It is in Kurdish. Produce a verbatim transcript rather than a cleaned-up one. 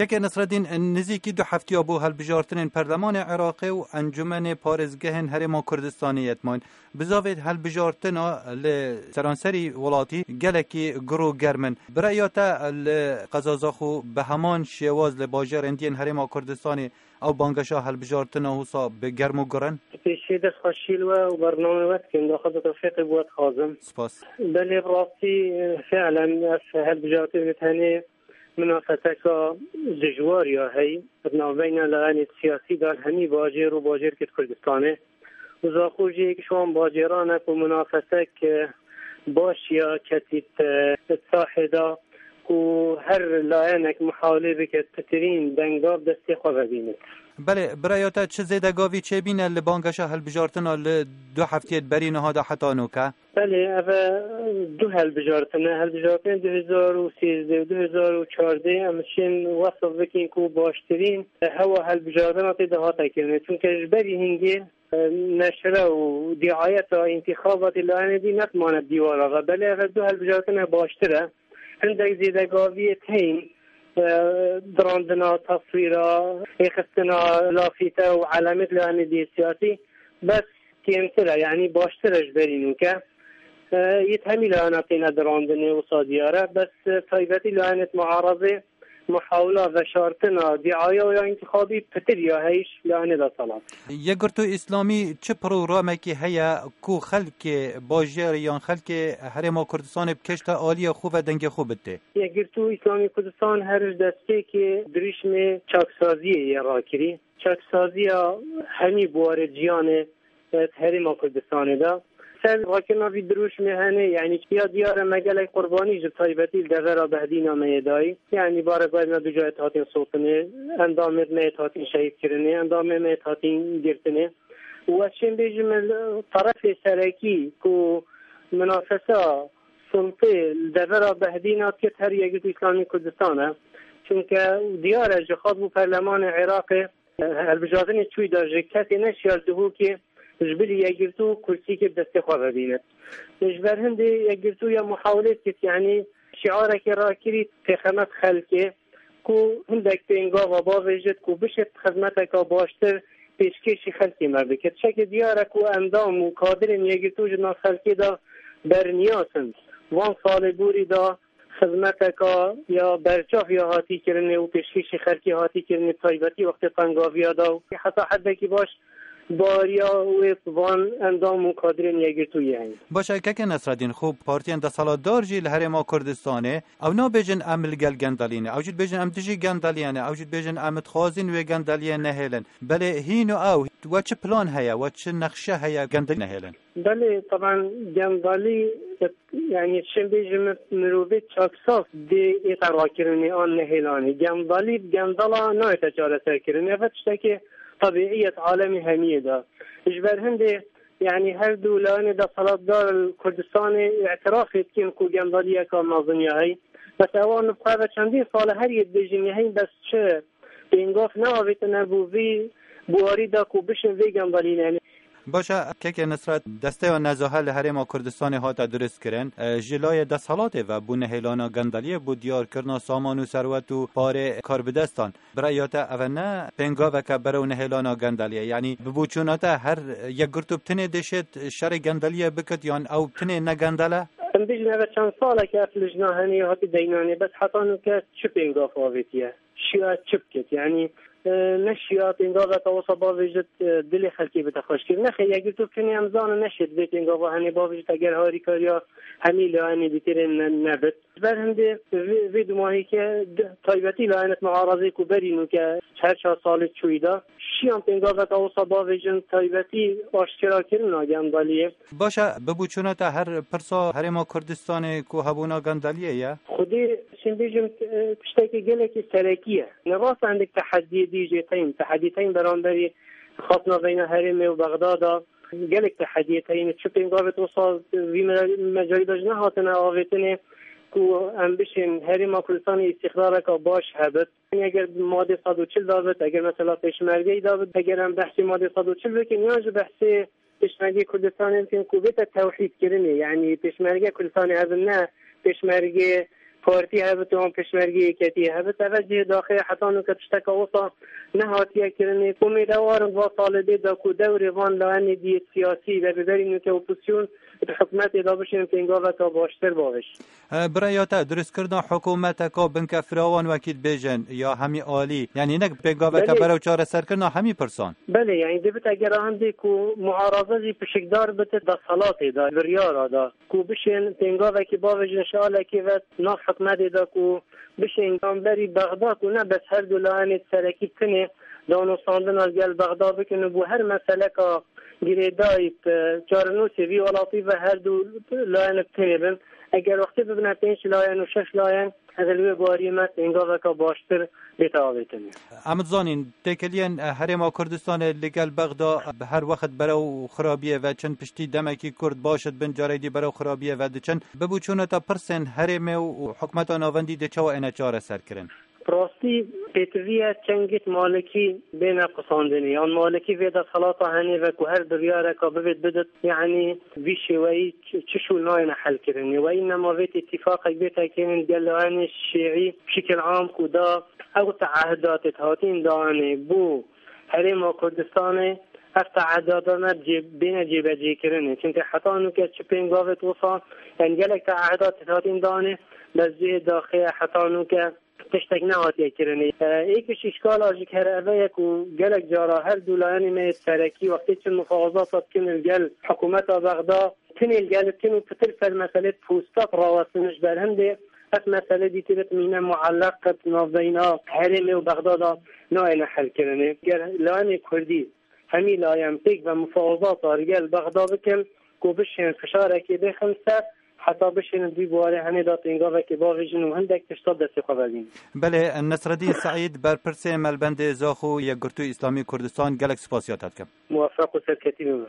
Keke Nesreddîn, nizîkî du heftiya bû hilbijartinên Perlemanê Iraqê û Encûmenê Parêzgehên Herêma Kurdistanê yetmayîn. Bizavê hilbijartina li seranserî welatî gelekî gur û germ in. Bi reya te li qeza Zaxo bi heman şêwaz li bajarên diyên Herêma Kurdistanê ew bangeşa hilbijartina wisa bi germ û gur in? Pêşî dest xweşî li we û bernameyê we dikim. Daxwaza tewfîqê bi we dixwazim. Spas. Belê, bi rastî, fiilen ev hilbijartin bi tenê minafeteka dijwar ya hey, di navbeyna layenê siyasî de hemî bajêr û bajêrkê di Kurdistanê. Û Zaxo jî yek ji wan bajêran e ku minafetek, e, baş ya ketît, e, di sahê de ku her layenek mihawlê bike pitirîn dengav destê xwe vebînit. Belê, bi reya te çi zêdegavî çêbîne li bangeşa hilbijartina li du heftiyê berî niha de heta nûke? Belê, ev e du helbijartin e. Helbijartinên du hezar û sêzdeh û du hezar û çardeh em şên wesf bikin ku baştirîn hewa helbijartina tê de hate kirinê. Çunke ji berî hingê, e, neşre û diayeta întîxabatê layenê dî netmane dîwara ve. Belê ev e du helbijartin e baştir e. Hindek zêdegaviyê tên, e, dirandina teswîra, êxistina lafîte û elamêt layenê dî siyasî. Bes kêmtir e, yanî baştir e ji berî nûke. E, yê hemî layana têne dirandinê wisa diyar e, bes, e, taybetî layanêt muarazê muhawila veşartina dîaya ya întîxabî pitir ya heyî ji layanê desthilat. Yekgirtû Îslamî çi programekî heye ku xelkê bajêrê yan xelkê Herêma Kurdistanê bikêşte aliyê xwe ve dengê xwe bidê? Yekgirtû Îslamî Kurdistan her ji destpêkê dirûşmê çaksaziyê yê rakirî. Çaksaziya hemî buwarê ciyanê, e, di Herêma Kurdistanê de. Ser rakirina vî dirûşmê hene, yanî ya diyar e me gelek qurbanî ji taybetî li devera Behdîna me yê dayî. Yanî barê berna du cayê hatin sotinê, endamêt me yê hatin şehîd kirinê, endamê me yê hatin girtinê. Û ez çêm bêjim, li terefê serekî ku minafesa sultê li devera Behdîna dikir her Yekgirtû Îslamî Kurdistan e. Çunke diyar e ji xwe bû perlemanê Iraqê, e, hilbijartinê çûyî de ji kesê neşiya li Duhokê ji bilî Yekgirtû kursîkê bi destê xwe vebîne. Ji ber hindê Yekgirtû ya muhawilê dikir, yanî şiarekê rakirî têxemet xelkê, ku hindek pêngava bavêjit ku bişêt xizmeteka baştir pêşkêşî xelkê me bikit. Çekê diyar e ku endam û kadirên Yekgirtû ji nav xelkê de berniyas in. Van salê borî de xizmeteka ya berçav ya hatî kirinê û pêşkêşî xelkê hatî kirinê, taybetî wextê tengaviya de û heta heddekî baş bariya wê van endam û kadirên Yekgirtû yên. Baş e, keke Nesreddîn, xwe partiyên desthilatdar jî li Herêma Kurdistanê ew nabêjin em li gel gendelî ne. Ew jî dibêjin em dijî gendeliyê ne. Ew jî dibêjin em dixwazin wê gendeliyê nehêlin. Belê hîn û ew, we çi plan heye, we çi nexşe heye gendelî nehêlin? Belê, teban gendelî, yanî çi bêjim, mirovê çaksaz dê êta rakirinê an nehêlanê. Gendelî bi gendela nayête çareserkirinê. Ev tiştekê tebîî yê alemê hemiyê de. Ji ber hindê, yanî her du layenê desthilatdar li Kurdistanê îtirafê dikin ku gendeliyeka mezin ya heyî. Bes ewan bi xwe ve çendîn sal e her yê dibêjin ya heyî, bes çi pêngaf neavêtine bo vî buwarî de ku bişin vê gendelî nehêlin. Baş e, keke Nisret, desteya nezahe li Herêma Kurdistanê hate dirust kirin. E, ji layê desthilatê ve bo nehêlana gendeliyê, bo diyarkirina saman û serwet û parê karbidestan. Bi reya te ev ne pêngaveke berew nehêlana gendeliyê? Yanî bi boçûna te her Yekgirtû bi tinê dişêt şerê gendeliyê bikit yan ew bi tinê ne gendel e? Em bêjin ev çend saleke ev lijna hene ya hatî deynanê, bes heta nûke çi pêngav avêtiye? Şiya çi bikit? Yanî, e, neşiya pêngaveke wisa bavêjit, e, dilê xelkê bite xweşkir. Nexê, Yekgirtû bi tinê em zanin neşêt vê pêngava hene bavêjit eger harîkariya hemî layenê dîtirên ne-, nebit. Ji ber hindê vê, vê dumahîke di-, taybetî layenet muarazê ku berî nûke her çar salê çûyî de, şiyan pêngaveka wisa bavêjin taybetî aşkera kirina gendeliyê. Baş e, bi boçûna te her pirsa Herêma Kurdistanê ku hebûna gendeliyê ye? Xwedê çin bêjim, e, tiştekî gelekî serekî ye. Ne rast e, hindek tehediyê dî jê tên, tehediyê tên beramberî xastina beyna herêmê û Bexdada. Gelek tehediyê teyîn çi pêngavê wisa vî me-, mecalî de ji nehatine avêtinê ku em bişên Herêma Kurdistanê îstîqrareka baş hebit. Eger madê sed û çil dabit, eger mesela pêşmergeyî dabit, eger em behsê madê sed û çil bikin, yan ji behsê pêşmergê Kurdistanê bikin ku bête tewhîdkirinê, yanî pêşmerge Kurdistanê hebin, ne pêşmergê Partî hebit, yan pêşmergê yeketiyê hebit, eve cihê daxê heta nûke tişteka wisa nehatiye kirinê. Umêdewar in va talibê de ku dewrê van layenê diyê siyasî ve bi berî nûke opozîsyon di hikûmetê de bişên pêngaveka baştir bavêj. E, bi rêya te, durustkirina hikûmeteka binkefirawan wekî dibêjin ya hemî alî, yanî nek pêngaveke Belê. berew çareserkirina hemî pirsan? Belê, yanî divit eger a hindê ku muaraza jî pişikdar bite desthilatê de, biryara de, ku bişên pêngavekî bavêjin ji alekê ve nav hikûmetê de ku bişên gamberî Bexda ku ne bes her du layenê serekî tinê danûstandina li gel Bexda bikin û bo her meseleka girêdayî, e, çarenûsê vî welatî ve her du layen bi tinê bin. Eger wextê bibine pênc layen û şeş layen, ez li wê bariyê me pêngaveka baştir bête avêtin. Em dizanîn, têkiliyên, e, Herêma Kurdistanê li gel Bexda, e, her wext berew xirabiyê ve çin, piştî demekî kurt baş dibin, carê dî berew xirabiyê ve diçin. Bibûçûneta pirsên herêmê û, û hikûmeta navendî dê çawa êne çareserkirin? Rastî pêtivî ye çend gît malikî bêne qisandinê, yan malikî vê desthilata henê ve ku her biryareka bivêt bidit, yanî vî şêweyî çi, çi şûl nayêne helkirinê. Weyî nema vê tîfaqek bête kirin gel layenê şîî bişikil am ku da ew teehdat êt hatîn danê bo Herêma Kurdistanê, ev teehdata me cê-, bêne cêbecêkirinê. Çimkî heta nûke çi pêngavêt wisa, yanî gelek teehdat êt hatîn danê, bes cihê daxê heta nûke tiştek nehatiye kirinê. E, êk ji îşkala jî her eve ye ku gelek cara her du layenê me yê serekî wextê çi mufawazata dikin li gel hikûmeta Bexda, tinê li gel dikin û pitir ser meselê posta rawestin ji ber hindê ev mesele dîtir mîne muelleq qet navbeyna herêmê û Bexda de nayêne helkirinê. Ger layenê kurdî hemî layen pêk ve mufawazata li gel Bexda bikin ku bişên fişarekê bêxin ser, heta bişên di warê henê de pêngavekê bavêjin û hindek tişta destê xwe vedîn. Belê, Nesreddîn Seîd, berpirsê Melbendê Zaxo Yekgirtû Îslamî Kurdistan, gelek spasiya te dikim. Muwefeq û serketî bibin.